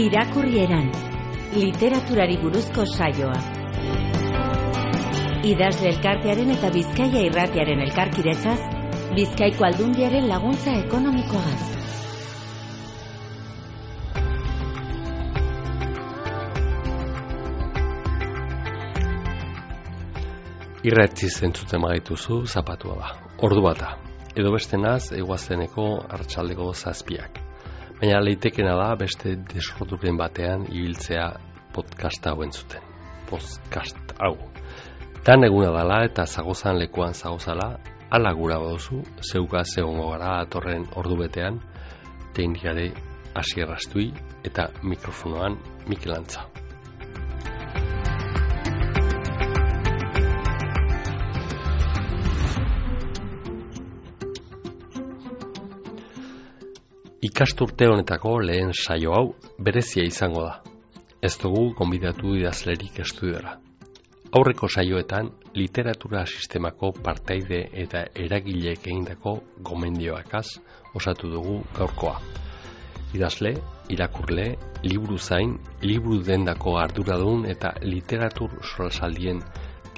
Irakurrieran, literaturari buruzko saioa. Idazle elkartearen eta Bizkaia irratiaren elkarkidetzaz, Bizkaiko Aldundiaren laguntza ekonomikoagaz. Irratziz entzuten magaituzu zapatua da, ordu bata, edo bestenaz eguazteneko arratsaldeko 7:00. Baina leitekena da beste desorduren batean ibiltzea podcast hau entzuten. Podcast hau. Dan eguna dala eta zagozan lekuan zagozala, ala gura baduzu, zeugaz egongo gara atorren ordu betean, teknikare Asier Astui eta mikrofonoan Mikel Antza. Ikasturte honetako lehen saio hau berezia izango da. Ez dugu gonbidatu idazlerik estudiora. Aurreko saioetan literatura sistemako partaide eta eragileek egindako gomendioakaz osatu dugu gaurkoa. Idazle, irakurle, liburu zain, liburu dendako arduradun eta literatur solasaldien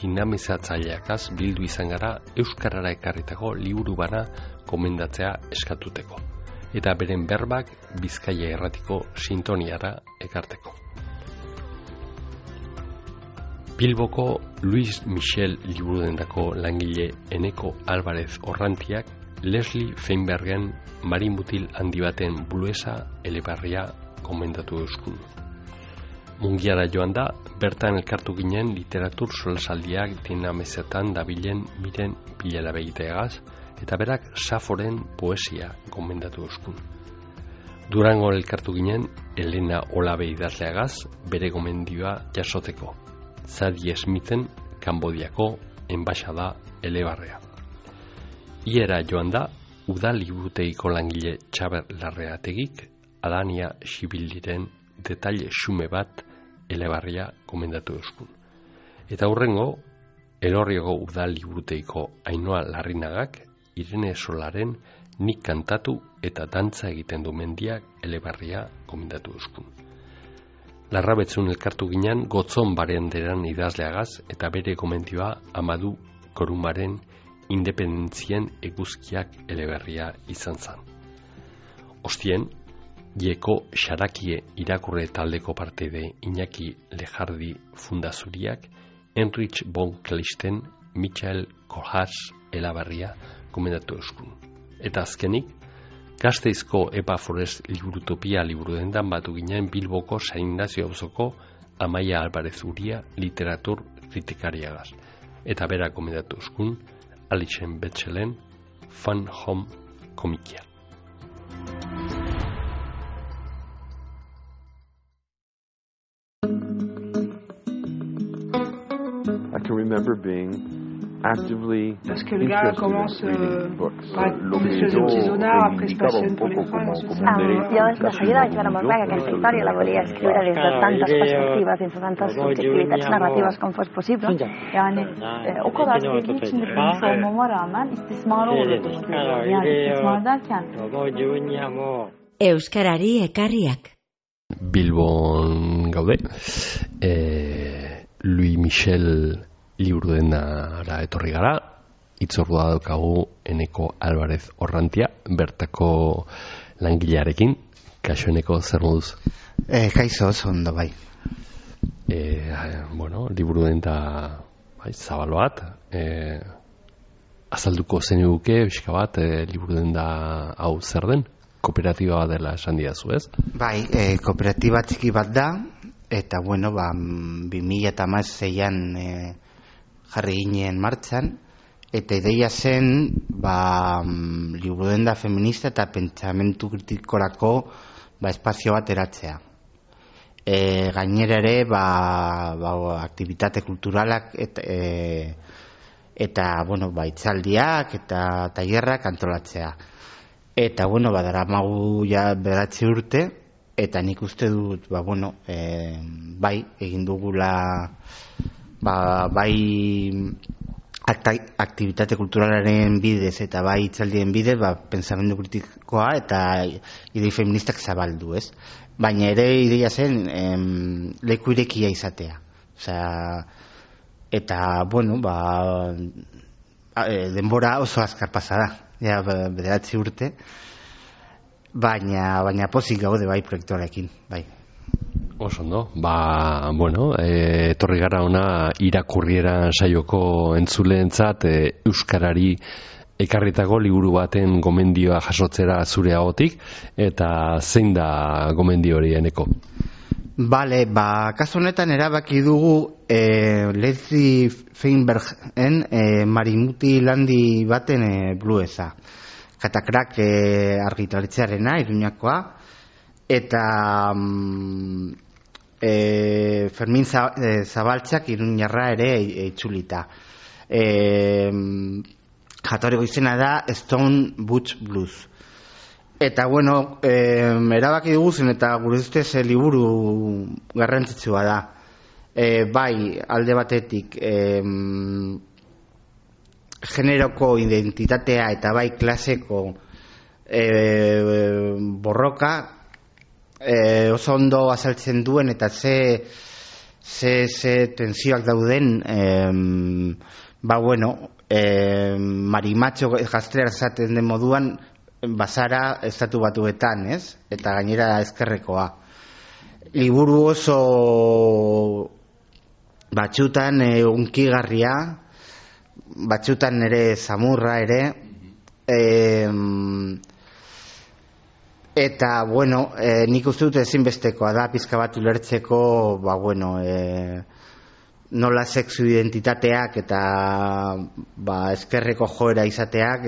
dinamizatzaileakaz bildu izan gara euskarara ekarritako liburu bana gomendatzea eskatuteko. Eta beren berbak Bizkaia irratiko sintoniara ekarteko. Bilboko Luis Michel liburudendako langile Eneko Alvarez Orrantiak Leslie Feinbergen marinmutil handi baten buluesa elebarria komendatu euskun. Mungiara joan da, bertan elkartu ginen literatur solasaldiak dinamezetan dabilen miren bilela begiteagaz, eta berak Saforen poesia gomendatu euskun. Durango elkartu ginen Elena Olabe idazleagaz bere gomendioa jasoteko. Zadie Smithen Kanbodiako enbaxada elebarrea. Iera joan da udal liburutegiko langile Txaber Larreategik Adania Xibildiren detaile xume bat elebarria gomendatu euskun. Eta hurrengo Elorrioko udal liburutegiko Ainoa Larrinagak Irene Solaren nik kantatu eta dantza egiten du mendiak elebarria gomendatu euskun. Larrabetzun elkartu ginen Gotzon barenderan idazleagaz eta bere gomendioa Amadu Korumaren independentzien eguzkiak eleberria izan zan. Ostien, Ieko Xarakie irakurre taldeko parteide Iñaki Lejardi Fundazuriak Heinrich von Kleisten Michael Kohlhaas eleberria gomendatu euskun. Eta azkenik, Gasteizko Epa Forest liburutopia liburudendan batu ginen Bilboko San Ignacio auzoko Amaia Alvarez Uria literatur kritikariagaz. Eta bera gomendatu euskun Alixen Betxelen Fun Home komikia. I can remember being actively parce que le gars commence par Monsieur Zonar, après se passionne pour les femmes. Jo de seguida vaig veure molt clar que aquesta història la volia escriure des de tantes perspectives, des de tantes subjektivitats narratives com fos possible. Yani o kadar sevgi içinde büyümüş olmama rağmen istismar oluyordum. Yani istismar derken Euskarari ekarriak. Bilbon gaude. Louis Michel liburudenara etorri gara, itzordua daukagu Eneko Alvarez Orrantia, bertako langilearekin. Kaixo Eneko, zer moduz? Kaixo, oso ondo bai. Liburudenta zabal bat, azalduko zeniguke, pixka bat, liburudenda hau zer den? Kooperatiba bat dela esan didazu, ez? Bai, kooperatiba txiki bat da, eta 2016an jarri ginen martxan, eta ideia zen liburudenda feminista eta pentsamentu kritikorako espazio bat eratzea. Gainera ere aktibitate kulturalak eta itzaldiak eta tailerrak antolatzea. Eta daramagu ja 9 urte, eta nik uste dut egin dugula bai aktibitate kulturalaren bidez eta bai hitzaldien bidez, pensamendu kritikoa eta idei feministak zabaldu, ez? Baina ere ideia zen leku irekia izatea. Eta, bueno, denbora oso azkar pasa da, ja, 9 urte, baina pozik gaude bai proiektuarekin, bai. Oso ondo, bueno, etorri gara ona irakurriera saioko entzuleentzat euskarari ekarritako liburu baten gomendioa jasotzera zure ahotik, eta zein da gomendio hori Eneko? Bale, kasu honetan erabaki dugu Leslie Feinbergen Marimuti landi baten bluesa. Katakrak argitaletxearena, Iruñakoa, eta Fermin Zabaltzak Iruñarra ere itzulita. Jatorriko izena da Stone Butch Blues. Eta, bueno, erabaki duguzen eta gure ustez liburu garrantzitsua da. Bai, alde batetik, generoko identitatea eta bai klaseko borroka oso ondo azaltzen duen eta ze tensioak dauden, bueno, marimatxo gaztera zaten den moduan bazara estatu batuetan, ez? Eta gainera ezkerrekoa. Liburu oso batxutan unkigarria, batxutan ere zamurra ere, eta, bueno, nik uste dut ezinbestekoa da pizka bat ulertzeko, bueno, nola sexu identitateak eta ezkerreko joera izateak,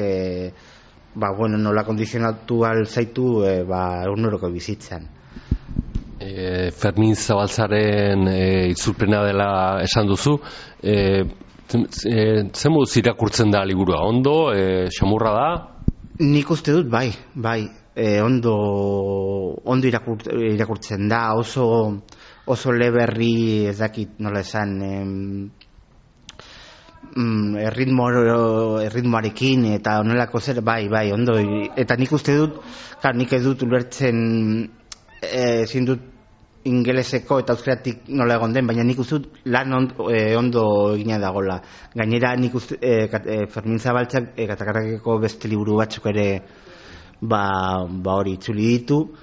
bueno, nola kondizionatu alzaitu eguneroko bizitzan. Fermin Zabaltzaren itzulpena dela esan duzu, zen moduz irakurtzen da liburua? Ondo, xamurra da? Nik uste dut, bai, ondo irakurtzen da, oso leberri, ez dakit nola esan, erritmoarekin eta onelako zer, bai, ondo, eta nik uste dut, nik ez dut ulertzen ezin dut ingeleseko eta euskeratik nola egon den, baina nik uste dut lan ondo egina dagola. Gainera nik uste Fermin Zabaltzak Katakarrakeko beste liburu batzuk ere hori itzuli ditu,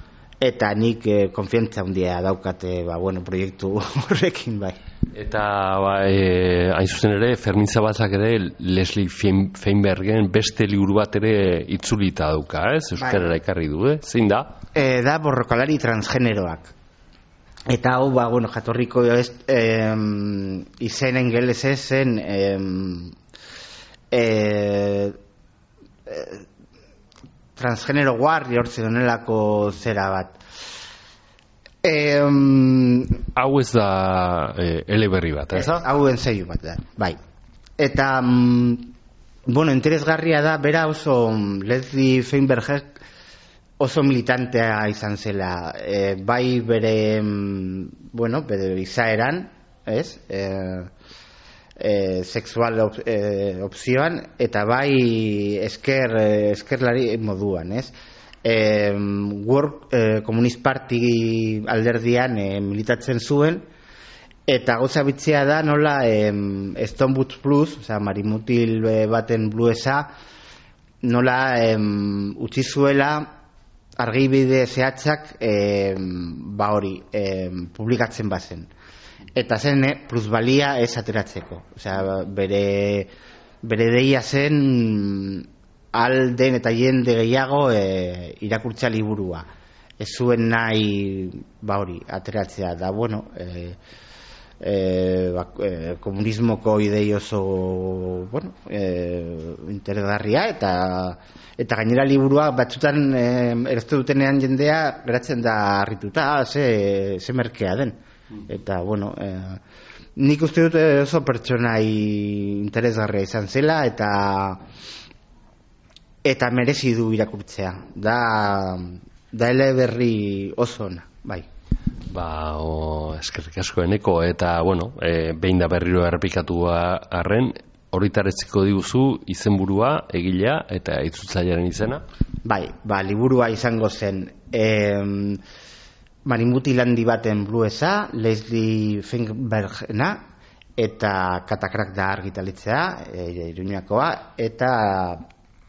eta nik konfiantza handia daukate bueno, proiektu horrekin, bai. Eta hain zuzen ere Fermin Zabaltzak ere Leslie Feinbergen beste liburu bat ere itzulita dauka, ez? Euskarara ekarri du, zein da? Da borrokalari transgeneroak. Eta hau, bueno, jatorriko izen ingelesez zen transgenero warriors honelako zera bat. Hau ez da eleberri bat, ez da? Hau ensaiu bat da, bai. Eta, bueno, interesgarria da, bera oso Leslie Feinberg oso militantea izan zela, bai bere, bueno, bere izaeran, ez? Sexual opzioan, eta bai eskerlari moduan, ez? World Communist Party alderdian militatzen zuen, eta gauza bitzea da nola Stone Butch Blues, oza, marimutil baten bluesa, nola utzi zuela argibide zehatzak hori publikatzen bazen. Eta zen plusbalia ez ateratzeko. Osea, bere deia zen alden eta jende gehiago irakurtza liburua. Ez zuen nahi hori ateratzea da, bueno, komunismoko idei oso, bueno, interesgarria eta gainera liburua batzutan erazte dutenean jendea geratzen da harrituta, ze merkea den. Eta, bueno, nik uste dut oso pertsonai interesgarria izan zela eta merezi du irakurtzea. Da eleberri oso ona, bai. Eskerrik asko Eneko, eta, bueno, behin da berriro errepikatu arren, horritaretziko diguzu izenburua, egilea eta itzultzailearen izena? Bai, liburua izango zen Marimutilandi baten bluesa, Leslie Finkbergena, eta Katakrak da argitalitzea, Iruñakoa, eta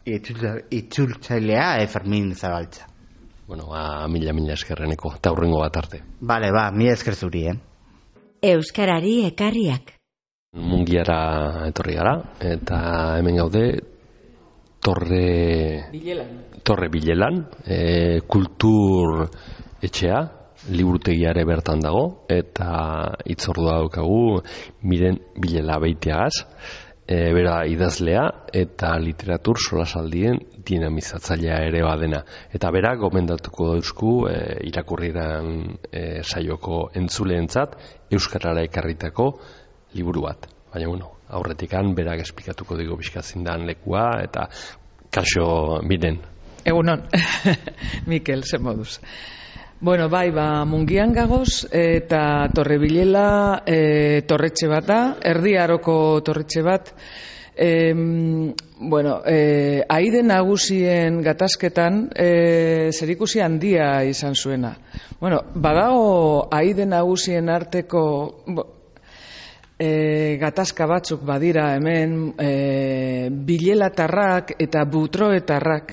itzultzailea Fermin Zabaltza. Bueno, mila eskerreneko, eta hurrengo bat arte. Bale, mila esker zuri, Euskarari ekarriak. Mungiara etorri gara, eta hemen gaude Torre Bilelan, kultur etxea, liburutegiare bertan dago, eta hitzordua daukagu Miren Bilela Beitiagaz, bera idazlea eta literatur solasaldien dinamizatzailea ere badena. Eta bera gomendatuko dauzku irakurriran saioko entzuleentzat euskarara ekarritako liburu bat. Baina, aurretikan berak esplikatuko digo bizkazindan lekua eta kaso Miren. Egunon, Mikel, ze moduz. Bueno, bai, Mungian gagoz eta Torrebilela torretxe bat da, Erdi Aroko torretxe bat. Aide nagusien gatazketan zerikusi handia izan zuena. Badago aide nagusien arteko gatazka batzuk badira hemen, bilelatarrak eta butroetarrak.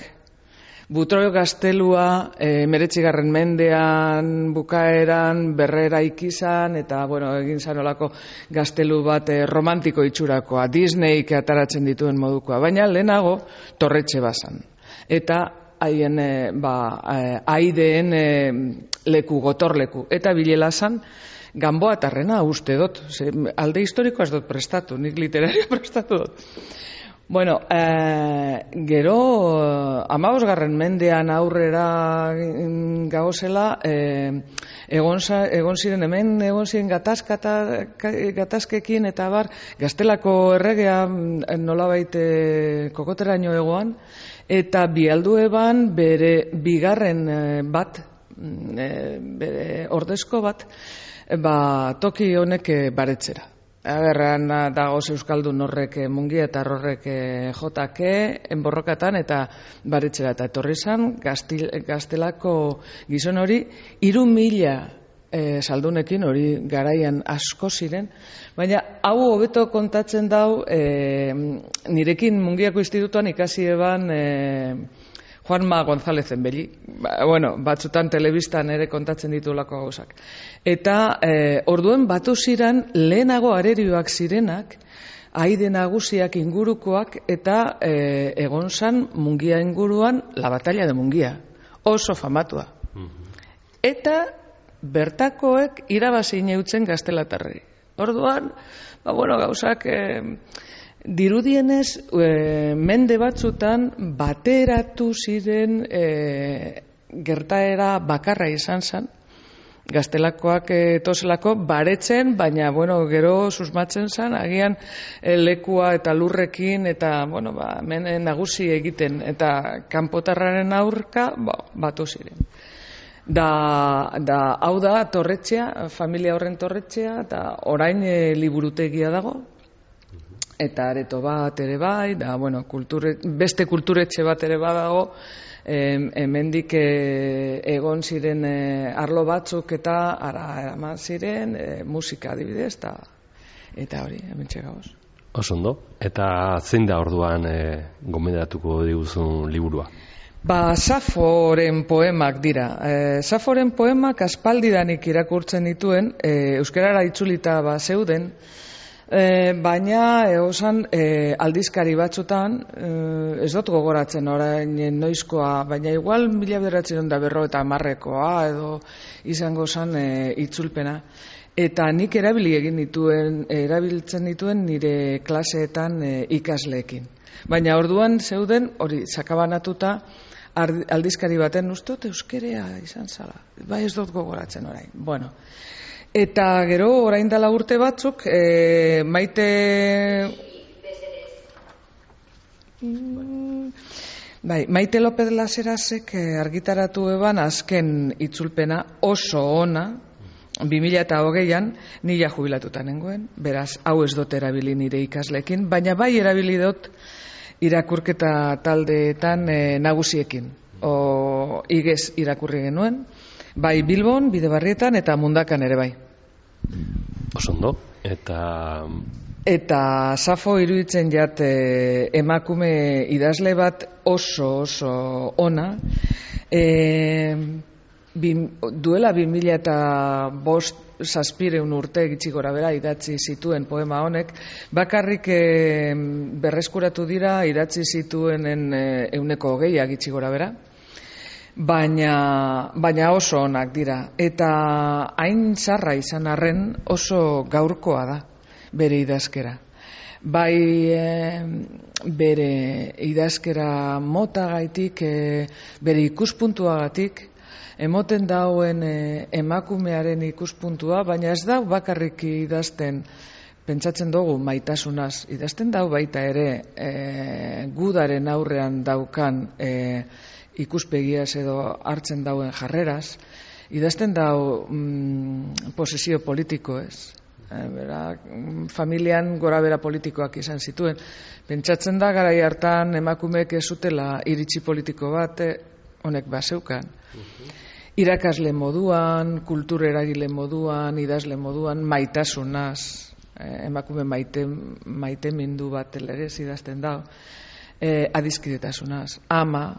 Butroio gaztelua 19. mendean bukaeran berrera ikizan eta egin zanolako gaztelu bat romantiko itxurakoa, Disneyk ataratzen dituen modukoa, baina lehenago torretxe bazan. Eta haien aideen leku, gotorleku, eta Bilela zan Ganboatarrena uste dut, alde historikoa ez dut prestatu, nik literaria prestatu dut. Gero 15. mendean aurrera gauzela egon ziren hemen, egon ziren gatazkekin eta gaztelako erregea nolabait kokoteraino egoan, eta bialdu eban bere bigarren bat, bere ordezko bat, toki honek baretzera. Agerran dagoz euskaldun horrek Mungia eta horrek jotake enborrokatan eta baretzera eta etorri zan gaztelako gizon hori 3.000 saldunekin, hori garaian asko ziren, baina hau hobeto kontatzen dau nirekin Mungiako institutuan ikasi eban Juanma Gonzálezen beli, batzutan telebistan ere kontatzen ditulako gauzak. Eta orduen batu ziren lehenago arerioak zirenak, aide nagusiak ingurukoak eta egon zan Mungia inguruan la batalla de Mungia, oso famatua. Eta bertakoek irabazi neutzen gaztelatarrei. Orduan, gauzak dirudienez mende batzutan bateratu ziren gertaera bakarra izan zen, gaztelakoak tozelako baretzen, baina gero susmatzen zen, agian lekua eta lurrekin eta hemen nagusi egiten eta kanpotarraren aurka batu ziren. Hau da torretxea, familia horren torretxea, eta orain liburutegia dago, eta areto bat ere bai, beste kulturetxe bat ere badago, hemendik egon ziren arlo batzuk eta eraman ziren musika adibidez, eta hori, hemen txegagoz. Osondo, eta zein da orduan gomendatuko diguzun liburua? Saforen poemak dira. Saforen poemak aspaldidanik irakurtzen dituen, euskarara itzulita zeuden, baina egosan aldizkari batzutan, ez dut gogoratzen orain noizkoa, baina igual 1950 edo izango zen itzulpena. Eta nik erabiltzen dituen nire klaseetan ikasleekin. Baina orduan zeuden, hori sakabanatuta, aldizkari baten ustot euskerea izan zala. Bai ez dut gogoratzen orain. Eta gero, orain dela urte batzuk, Maite López Laserazek argitaratu eban azken itzulpena oso ona, 2020an nila jubilatuta nengoen, beraz, hau ez dut erabili nire ikasleekin, baina bai erabili dut irakurketa taldeetan nagusiekin. Igez irakurri genuen, bai Bilbon, Bidebarrietan eta Mundakan ere bai. Osondo, Eta Safo iruditzen jat emakume idazle bat oso ona, duela 2005 urte gitxi gora bera idatzi zituen poema honek, bakarrik berreskuratu dira idatzi zituenen 20% gitxi gora bera, baina oso onak dira. Eta hain zarra izan arren oso gaurkoa da bere idazkera. Bai bere idazkera motagaitik, bere ikuspuntuagatik, emoten dauen emakumearen ikuspuntua, baina ez da bakarrik idazten, pentsatzen dugu maitasunaz, idazten dau baita ere gudaren aurrean daukan ikuspegiaz edo hartzen dauen jarreraz, idazten dau posesio politikoez. Familian gora bera politikoak izan zituen. Pentsatzen da garai hartan emakumeek ez zutela iritzi politiko bat, honek bazeukan. Irakasle moduan, kultur eragile moduan, idazle moduan, maitasunaz, emakume maite mindu bat ere idazten da, adiskidetasunaz, ama,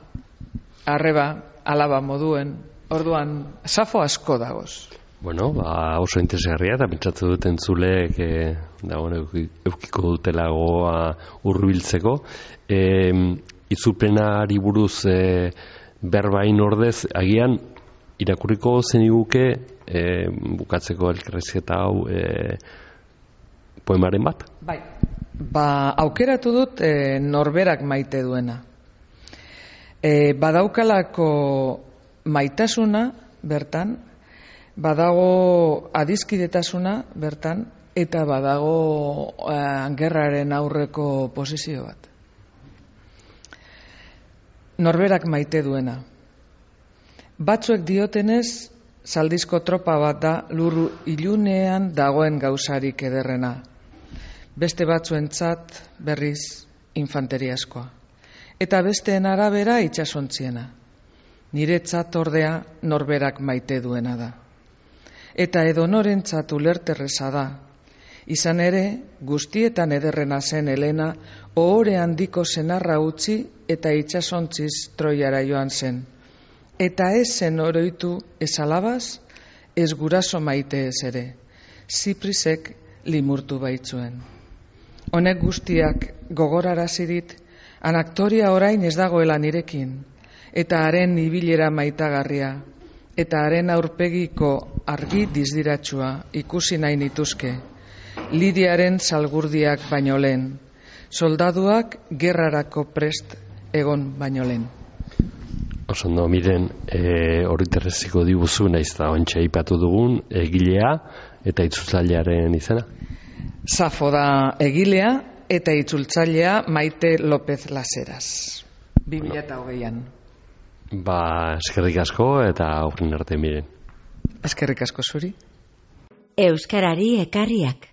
arreba, alaba moduen, orduan, Safo asko dagoz. Bueno, oso interesgarria eta pentsatzen dut entzuleek eukiko dutela gogoa hurbiltzeko. Itzulpenari buruz berbain ordez, agian irakurriko zeniguke bukatzeko elkarrizketa hau poemaren bat? Bai, aukeratu dut norberak maite duena. Badaukalako maitasuna bertan, badago adiskidetasuna bertan, eta badago gerraren aurreko posizio bat. Norberak maite duena. Batzuek diotenez, zaldizko tropa bat da lur ilunean dagoen gauzarik ederrena. Beste batzuentzat berriz infanteriaskoa. Eta besteen arabera itsasontziena. Niretzat ordea norberak maite duena da. Eta edonorentzat ulerterreza da. Izan ere, guztietan ederrena zen Helena, ohore handiko senarra utzi eta itsasontziz Troiara joan zen. Eta ez zen oroitu ez alabaz, ez guraso maite ez ere. Ziprisek limurtu baitzuen. Honek guztiak gogorarazirit, anaktoria orain ez dagoela nirekin, eta haren ibilera maitagarria, eta haren aurpegiko argi dizdiratsua ikusi nahi nituzke. Lidiaren salgurdiak baino lehen, soldaduak gerrarako prest egon baino lehen. Osondo, miren, horiterreziko diguzu, nahiz da ontsa ipatu dugun, egilea eta itzultzailearen izena? Safo da egilea eta itzultzailea Maite López Laseras, 2008an. Eskerrik asko eta aurren arte, miren. Eskerrik asko zuri. Euskarari ekarriak.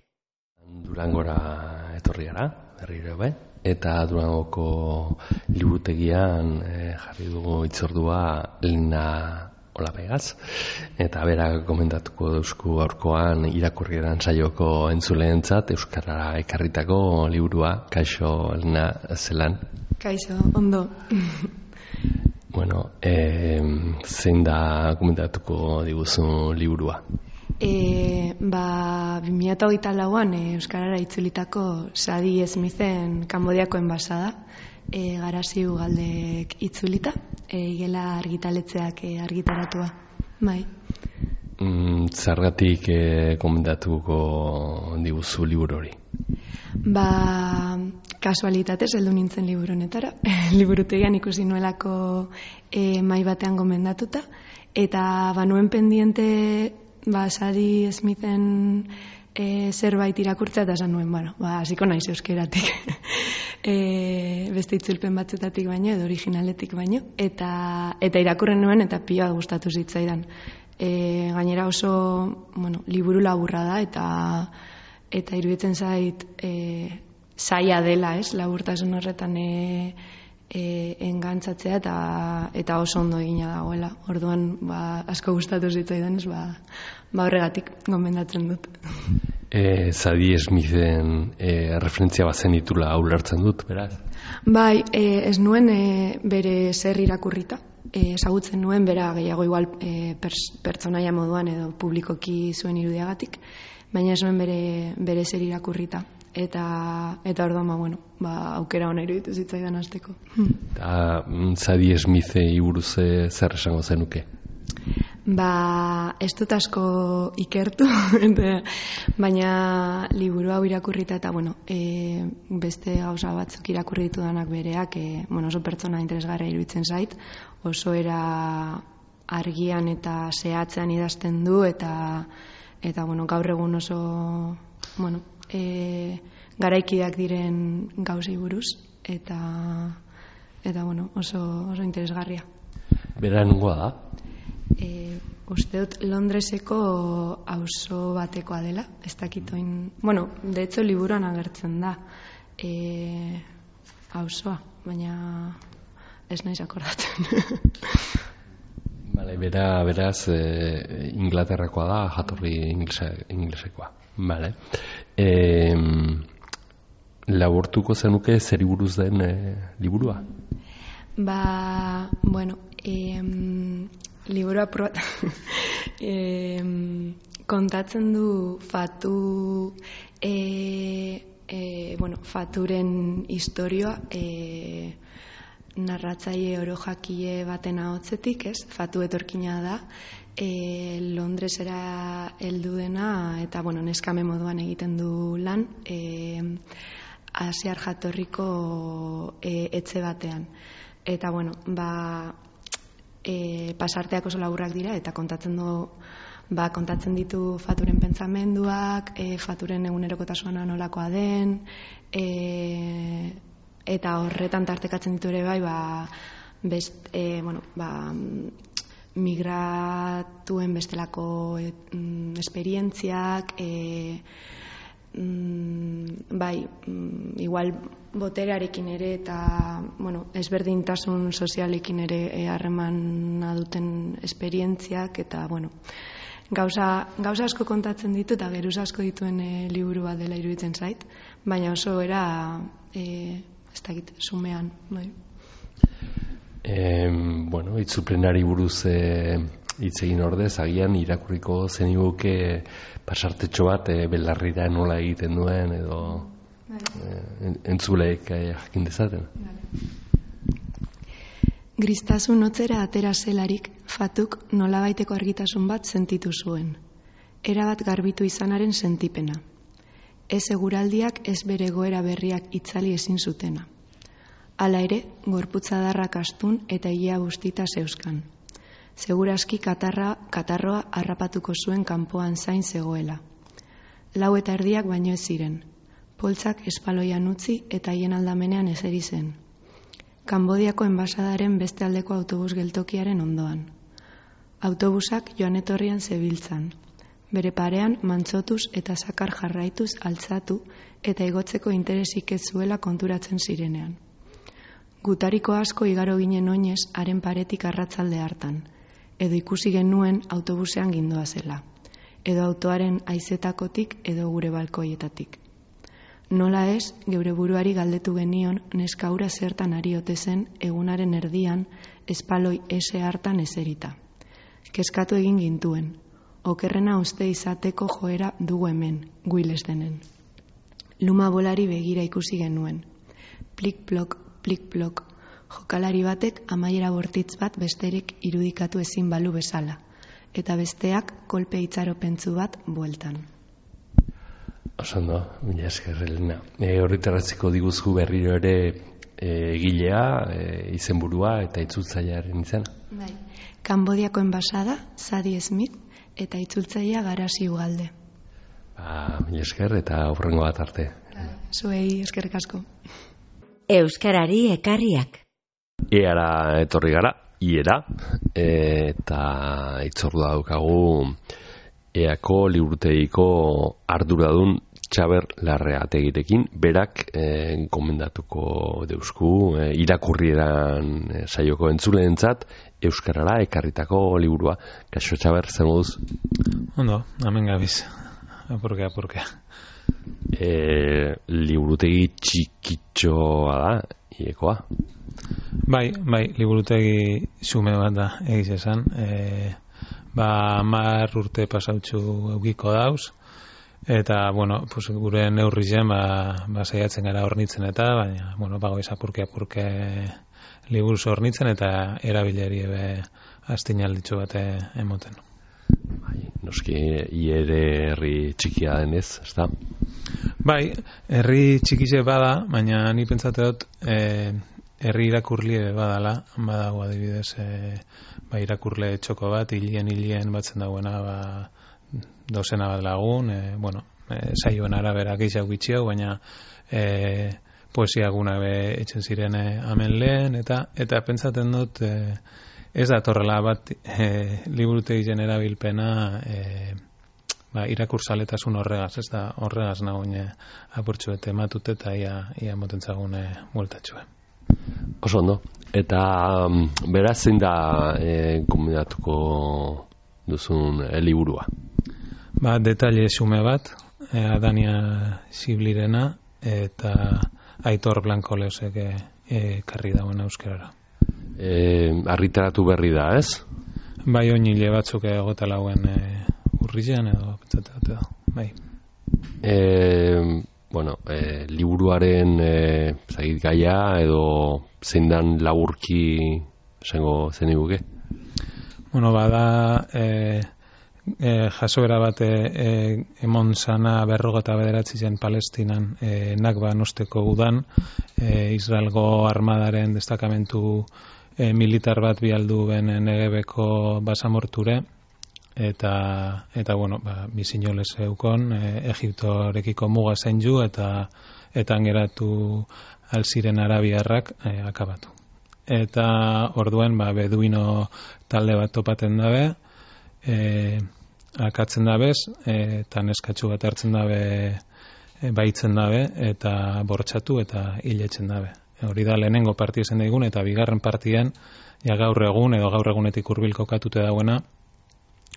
Durangora etorri gara, berriro bai. Eta Durangoko liburutegian jarri dugu itzordua Lina Olapegaz. Eta berak komentatuko duzku aurkoan irakurrieran saioko entzuleentzat Euskarara ekarritako liburua. Kaixo, Lina, zelan? Kaixo, ondo. Bueno, zein da komentatuko diguzu liburua? 2008an Euskarara itzulitako Sadie Smithen Kanbodiako enbasada, Garazi Ugaldek itzulita, igela argitaletzeak argitaratua. Bai. Zergatik komentatuko diguzu liburu hori? Kasualitatez heldu nintzen liburu honetara. Liburutegian ikusi nuelako mahai batean gomendatuta, eta nuen pendiente Sadie Smithen zerbait irakurtza, eta esan nuen, hasiko naiz euskeratik. Beste itzulpen batzutatik baino, edo originaletik baino, eta irakurren nuen, eta pila gustatu zitzaidan. Gainera oso, liburu laburra da eta iruditzen zait zaila dela, laburtasun horretan engantzatzea eta oso ondo egina dagoela. Orduan, asko gustatu zitzaidan, horregatik gomendatzen dut. Zadie Smithen referentzia bazen ditula ulertzen dut, beraz? Bai, ez nuen bere zer irakurrita. Ezagutzen nuen bera gehiago igual pertsonaia moduan edo publikoki zuen irudiagatik, baina ez nuen bere zer irakurrita. Eta orduan, aukera ona iruditu zitzaidan hasteko. Zadie Smithei buruz zer esango zenuke? Ez dut asko ikertu, baina liburu hau irakurrita eta, beste gauza batzuk irakurri ditudanak bereak, oso pertsona interesgarria iruditzen zait, oso era argian eta zehatzean idazten du, eta gaur egun oso, garaikideak diren gauzei buruz, eta oso interesgarria. Bera nungoa da? Uste dut Londreseko auzo batekoa dela, ez dakitoin, de hecho liburuan agertzen da auzoa, baina ez naiz akordatzen. Bale, beraz Inglaterrakoa da, jatorri inglesekoa. Bale. Laburtuko zenuke zeri buruz den liburua? Liburua kontatzen du faturen historioa, narratzaile orojakile baten ahotsetik, fatu etorkina da, Londresera heldu dena, eta neskame moduan egiten du lan, asiar jatorriko etxe batean. Eta pasarteak oso laburrak dira eta kontatzen ditu faturen pentsamenduak, faturen egunerokotasuna nolakoa den, eta horretan tartekatzen ditu ere migratuen bestelako esperientziak, igual boterearekin ere eta ezberdintasun sozialekin ere harremana duten esperientziak, eta gauza asko kontatzen ditu eta geruz asko dituen liburu bat dela iruditzen zait, baina oso era ez dakit, sumean. Itzulpenari buruz hitz egin ordez, agian irakurriko zeniguke pasartetxo bat belarrira nola egiten duen edo entzuleek jakin dezaten. Gristasun hotzera atera zelarik, fatuk nolabaiteko argitasun bat sentitu zuen. Erabat garbitu izanaren sentipena. Ez eguraldiak ez bere goera berriak itzali ezin zutena. Hala ere, gorputzadarrak astun eta ilea bustita zeuzkan. Segurazki katarroa harrapatuko zuen kanpoan zain zegoela. 4:00 baino ez ziren. Poltsak espaloian utzi eta hien aldamenean eseri zen. Kanbodiako enbasadaren beste aldeko autobus geltokiaren ondoan. Autobusak joan etorrian zebiltzan. Bere parean mantzotuz eta sakar jarraituz altzatu eta igotzeko interesik ez zuela konturatzen zirenean. Gutariko asko igaro ginen oinez haren paretik arratzalde hartan, edo ikusi genuen autobusean gindoa zela, edo autoaren haizetakotik edo gure balkoietatik. Nola ez, geure buruari galdetu genion neska hura zertan ari ote zen egunaren erdian espaloi ese hartan eserita. Kezkatu egin gintuen, okerrena uste izateko joera dugu hemen, guiles denen. Luma bolari begira ikusi genuen. Plik-plok, plik-plok, jokalari batek amaiera bortitz bat besterik irudikatu ezin balu bezala, eta besteak kolpe itxaropentzu bat bueltan. Osondo, mila esker, Elena. Horretarratzeko diguzku berriro ere egilea, izenburua eta itzultzailearen izena. Bai. Kanbodiako enbasada, Zadie Smith, eta itzultzailea Garasi Ugalde. Mila esker eta hurrengo bat arte. Zuei eskerrik asko. Euskarari ekarriak. Eara etorri gara, iera, eta itzordu daukagu EAko liburutegiko arduradun Txaber Larreategirekin, berak gomendatuko deusku irakurrieran saioko entzuleentzat euskarara ekarritako liburua. Kaixo Txaber, zer moduz? Ondo, hemen gabiz. Apurkea. Liburutegi txikitxoa da, iekoa? Bai, liburutegi xume bat da, egiz esan. 10 urte pasautxu eukiko dauz, eta, gure neurrizen, saiatzen gara hornitzen eta, baina, bagoiz apurke liburuz hornitzen eta erabileri astinalditxo bat emoten. Noski, iere herri txikia denez, ez da? Bai, herri txikize bada, baina ni pentsate dut herri irakurlie badala, badago adibidez, irakurle txoko bat, hilien batzen dagoena, dozena bat lagun, saioen arabera gehiago gitxiago, baina poesia guna etxen ziren hemen lehen, eta pentsaten dut ez da torrela bat liburutegien erabilpena irakurtzaletasun horregaz, ez da horregaz nagoen apurtxuet ematut eta ia motentzagun bueltatxue. Oso ondo, eta beraz zein da kombinatuko duzun liburua? Detaile xume bat, Adania Xiblirena eta Aitor Blanco Leosek karri dauen euskarara. Argitaratu berri da, ez? Bai, oinile batzuk egota lauen urrilean edo pentsatu da, bai. Liburuaren gaia edo zein dan laburki esango zen iguke? Bada jasoera bat emon zana 59 Palestinan Nakba osteko udan, Israelgo armadaren destakamentu militar bat bialdu ben Negebeko basamorture, eta bizinolez eukon, Egiptorekiko muga zen ju, eta angeratu alziren arabiarrak akabatu. Eta orduen beduino talde bat topaten dabe, akatzen dabez, eta neskatxu bat hartzen dabe, baitzen dabe, eta bortxatu eta hiletzen dabe. Hori da lehenengo partia zen daigun, eta bigarren partian, gaur egun, edo gaur egunetik hurbil kokatute dagoena,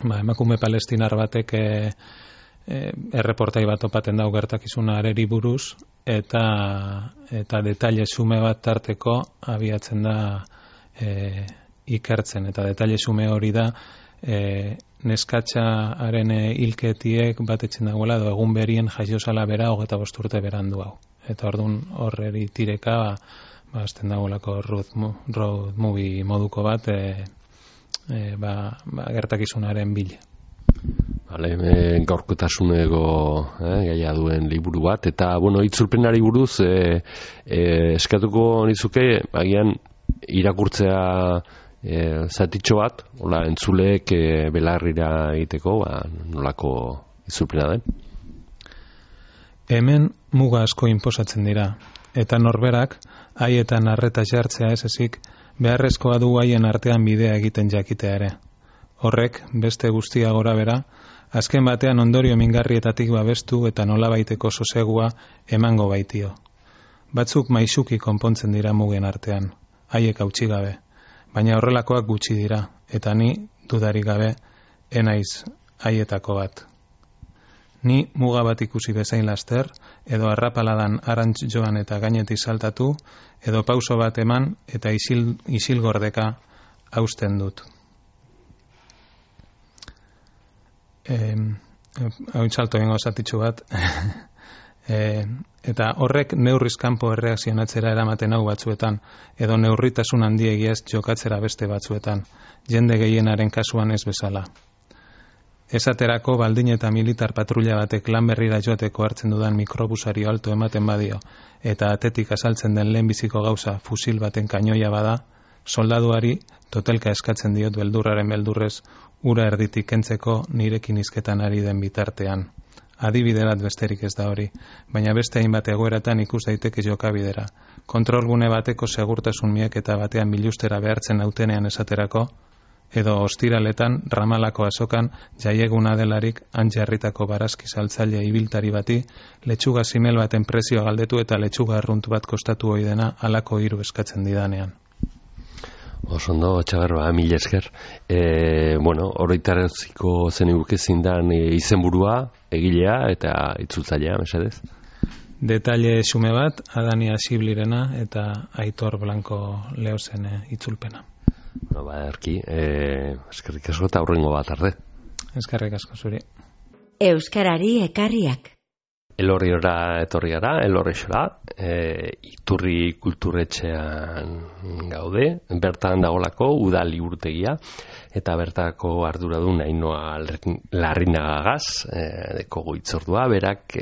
emakume palestinar batek erreportai bat topaten dau gertakizuna areri buruz, eta detaile xume bat tarteko abiatzen da ikertzen, eta detaile xume hori da neskatxaren hilketiek batetzen dagoela, edo egun berien jaiozala bera 25 urte berandu hau. Eta orduan horreri tireka azten dagoelako road movie moduko bat gertakizunaren bile. Gaurkotasuneko gaia duen liburu bat, eta itzulpenari buruz eskatuko nizuke agian irakurtzea zatitxo bat, entzuleek belarrira egiteko, nolako itzulpena den? Hemen muga asko inposatzen dira, eta norberak haietan arreta jartzea ez ezik beharrezkoa du haien artean bidea egiten jakitea ere. Horrek, beste guztia gora bera, azken batean ondorio mingarrietatik babestu eta nolabaiteko sosegua emango baitio. Batzuk maisuki konpontzen dira mugen artean, haiek hautsi gabe, baina horrelakoak gutxi dira, eta ni dudarik gabe enaiz haietako bat. Ni muga bat ikusi bezain laster, edo arrapaladan arantz joan eta gainetik saltatu, edo pauso bat eman eta isilgordeka hausten dut. Hau salto egingo zatitxu bat. Eta horrek neurriz kanpo erreakzionatzera eramaten hau batzuetan, edo neurritasun handiegiaz jokatzera beste batzuetan, jende gehienaren kasuan ez bezala. Esaterako baldin eta militar patrulla batek lan berrira joateko hartzen dudan mikrobusari alto ematen badio, eta atetik azaltzen den lehenbiziko gauza fusil baten kainoia bada, soldaduari totelka eskatzen diot beldurraren beldurrez ura erditik kentzeko nirekin hizketan ari den bitartean. Adibide bat besterik ez da hori, baina beste hainbat egoeratan ikus daiteke jokabidera. Kontrolgune bateko segurtasun miaketa batean bilustera behartzen nautenean esaterako, edo ostiraletan Ramalako azokan jaieguna delarik antjarritako barazki saltzaile ibiltari bati letxuga simel baten prezioa galdetu eta letxuga arrunt bat kostatu ohi dena halako hiru eskatzen didanean. Osondo, Txabarba, mila esker. Oroitaraziko zeniguke zindan izenburua, egilea eta itzultzailea, mesedez? Detaile xume bat, Adania Siblirena eta Aitor Blanco Leozen itzulpena. Erki, eskerrik asko eta aurrengo bat arde. Eskerrik asko zuri. Euskarari ekarriak. Elorriora etorri gara, Elorrixora, Iturri kulturetxean gaude, bertan dagolako udal liburutegia, eta bertako arduradun Ainhoa Larrinagagaz, deko itzordua, berak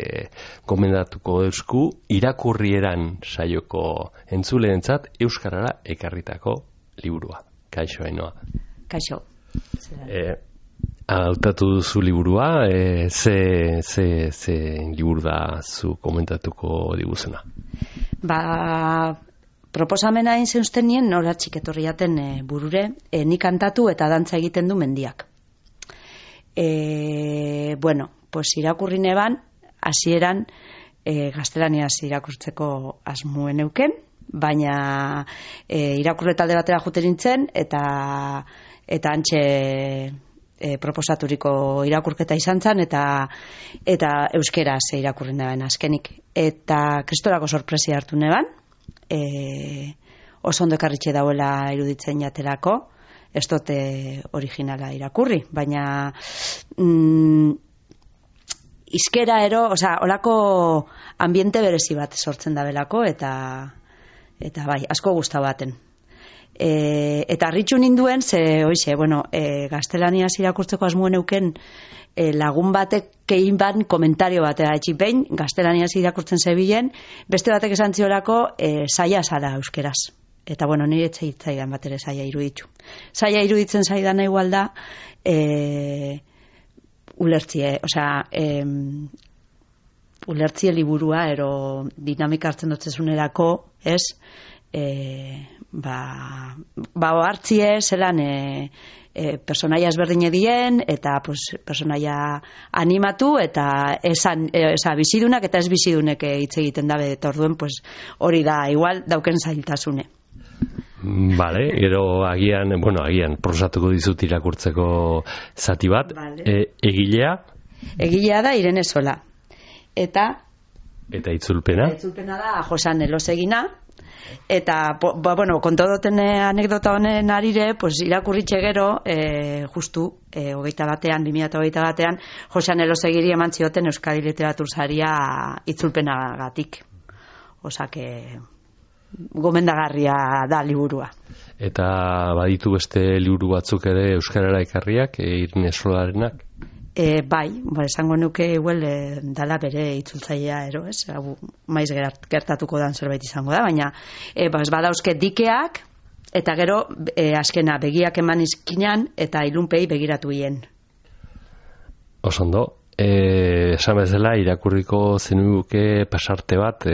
gomendatuko eusku irakurrieran saioko entzuleentzat euskarara ekarritako liburua. Kaixo, Ainhoa. Kaixo. Hautatu duzu liburua, ze liburu da zu komentatuko diguzena? Proposamena egin zeusten nien noratxik etorri jaten burure, nik kantatu eta dantza egiten du mendiak. Irakurri neban, hasieran gaztelaniaz irakurtzeko asmuen euken, baina irakurre talde batera juten nintzen, eta antxe proposaturiko irakurketa izan zen, eta euskeraz irakurri neban azkenik. Eta kristorako sorpresia hartu neban, oso ondo ekarritxe dauela iruditzen jaterako, ez dute originala irakurri, baina izkera olako ambiente berezi bat sortzen da belako, eta bai, asko guztau baten. Eta harritxu ninduen, gaztelaniaz irakurtzeko asmuen euken lagun batek kein ban komentario batera etxipein, gaztelaniaz irakurtzen zebilen, beste batek esan ziolako zaila zara euskeraz. Eta nire etxeitzaidan bat ere zaila iruditzu. Zaila iruditzen zaidan igual da ulertzie liburua, ero dinamika hartzen dutzezunerako, ez? Hartzie zelan personaia ezberdine dien, eta personaia animatu, eta bizidunak eta ez bizidunek hitz egiten dabe, eta orduen hori da, igual dauken zailtasune. Bale, gero agian prosatuko dizut irakurtzeko zati bat. Egilea? Egilea da Irene Sola. Eta itzulpena? Itzulpena da Josan Elosegina. Eta, konto duten anekdota honen arire, irakurritxe gero, justu, 2021 batean, Josan Elosegiri eman zioten Euskadi Literatur Saria itzulpenagatik. Osake, gomendagarria da liburua. Eta baditu beste liburu batzuk ere euskarara ekarriak, Irene Solarenak? Bai, esango nuke dala bere itzultzailea ero, ez? Maiz gertatuko dan zerbait izango da, baina badauzke dikeak, eta gero azkena begiak eman izkinan, eta ilunpei begiratu hien. Osondo, esan bezala irakurriko zenuke pasarte bat,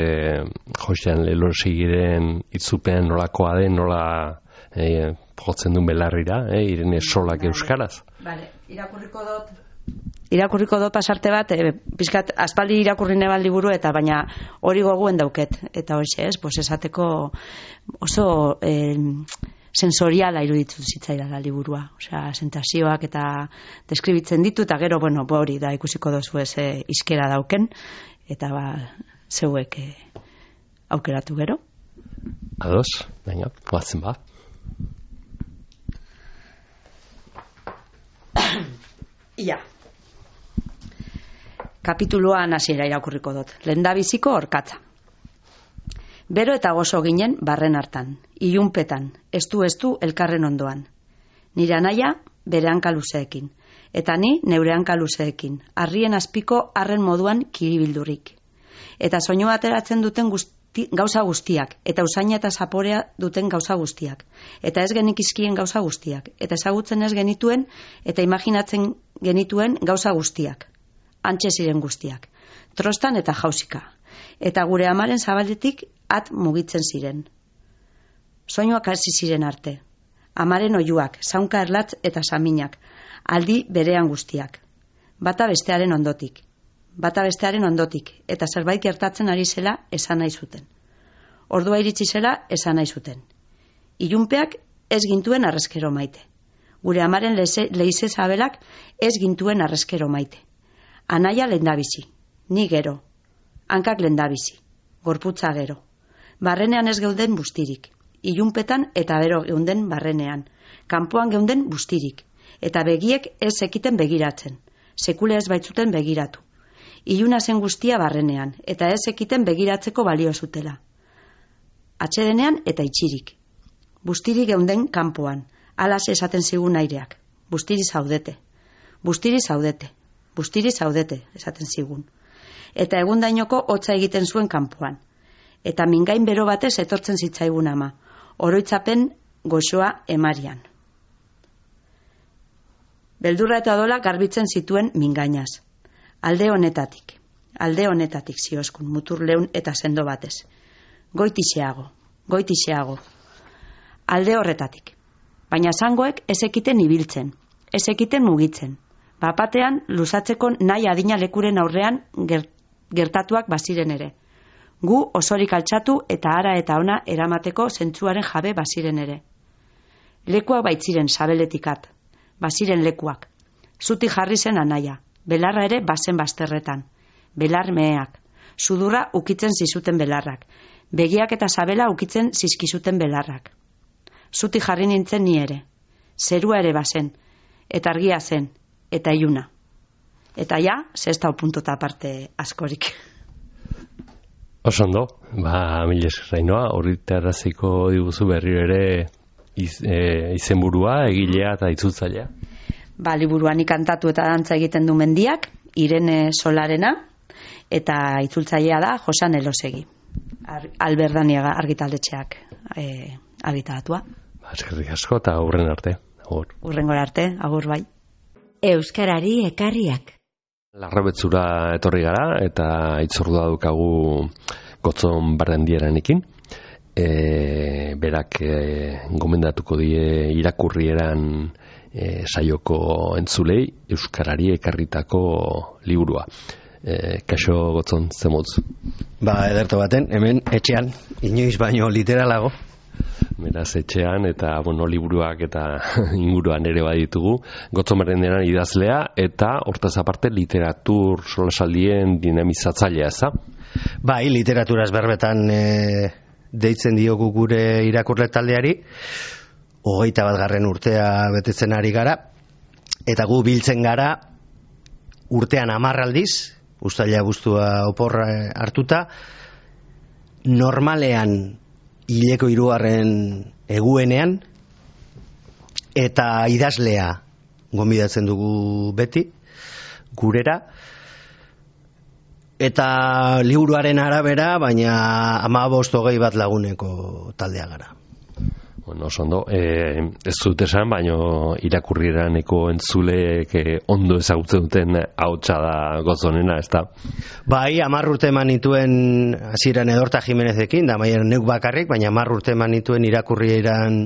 Josean Lelosegiren itzulpean nolakoa den, nola jotzen duen belarrira, Irene Solak euskaraz? Bale, irakurriko dut pasarte bat, pizkat aspaldi irakurri neban liburu, eta baina hori goguen dauket, eta hoxe ez, esateko oso sensoriala iruditu zitzaidala liburua, sentazioak eta deskribitzen ditu, eta gero, hori da ikusiko dozu ez izkera dauken, eta zeuek aukeratu gero. Ados, baina, guatzen ba. Ia. Kapituluan hasiera irakurriko dut. Lehendabiziko orkatza. Bero eta gozo ginen barren hartan, ilunpetan, estu elkarren ondoan. Nire anaia bere hanka luzeekin, eta ni neure hanka luzeekin, harrien azpiko harren moduan kiribildurik. Eta soinu ateratzen duten gauza guztiak, eta usaina eta zaporea duten gauza guztiak, eta ez genikizkien gauza guztiak, eta ezagutzen ez genituen, eta imaginatzen genituen gauza guztiak. antxe ziren guztiak, trostan eta jausika, eta gure amaren zabaletik at mugitzen ziren. Soinuak hasi ziren arte, amaren oiuak, zaunka erlatz eta saminak, aldi berean guztiak, bata bestearen ondotik, eta zerbait gertatzen ari zela esan nahi zuten. Ordua iritsi zela esan nahi zuten. Ilunpeak ez gintuen arrezkero maite. Gure amaren leize zabelak ez gintuen arrezkero maite. Anaia lendabizi, ni gero, hankak lendabizi, gorputza gero. Barrenean ez geuden bustirik, ilunpetan eta bero geunden barrenean, kanpoan geunden bustirik, eta begiek ez ekiten begiratzen, sekule ez baitzuten begiratu. Iluna zen guztia barrenean, eta ez ekiten begiratzeko balio zutela. Atxedenean eta itxirik. Bustiri geunden kanpoan, alas esaten zigun aireak. Bustiri zaudete, esaten zigun. Eta egundainoko hotza egiten zuen kanpoan. Eta mingain bero batez etortzen zitzaigun ama, oroitzapen goxoa emarian. Beldurra eta odola garbitzen zituen mingainaz. Alde honetatik zioskun, mutur leun eta sendo batez. Goitixeago. Alde horretatik. Baina zangoek ez ekiten ibiltzen, ez ekiten mugitzen. Bapatean luzatzeko nahi adina lekuren aurrean gertatuak baziren ere. Gu osorik altxatu eta ara eta ona eramateko zentzuaren jabe baziren ere. Lekuak baitziren sabeletikat, baziren lekuak. Zuti jarri zen anaia, belarra ere bazen bazterretan. Belar meheak, sudurra ukitzen zizuten belarrak, begiak eta sabela ukitzen zizkizuten belarrak. Zuti jarri nintzen ni ere, zerua ere bazen, eta argia zen, eta iluna. Eta ja, zestau puntota aparte askorik. Osondo, mil esker Ainhoa, horrite arraziko diguzu berriro ere izenburua, egilea eta itzultzailea. Liburuan ikantatu eta dantza egiten du Mendiak, Irene Solarena, eta itzultzailea da Josan Elosegi. Alberdaniaga argitaldetxeak argitaratua. Eskerrik asko eta hurren arte. Hurrengora arte, agur bai. Euskarari ekarriak. Larrabetzura etorri gara eta itzordua dukagu Gotzon Barrendieranekin. Berak gomendatuko die irakurrieran saioko entzulei Euskarari ekarritako liburua. Kaixo Gotzon, zemotz? Ederto baten, hemen etxean, inoiz baino literalago. Beraz etxean eta liburuak eta inguruan ere baditugu. Gotzon Barrendiaran idazlea eta hortaz aparte literatur solasaldien dinamizatzailea, eza? Literaturaz berbetan deitzen diogu gure irakurle taldeari. 21. urtea betetzen ari gara, eta gu biltzen gara urtean 10 aldiz, uztaila abuztua oporra hartuta, normalean hileko 3. eguenean, eta idazlea gonbidatzen dugu beti, gurera, eta liburuaren arabera, baina 15-20 bat laguneko taldea gara. Osondo, ez dut esan, baino irakurrieraneko entzuleek ondo ezagutzen duten ahotsa da Gotzonena, ez da? 10 urte eman nituen hasieran Edorta Jimenezekin, da maien neuk bakarrik, baina 10 urte eman nituen irakurrieran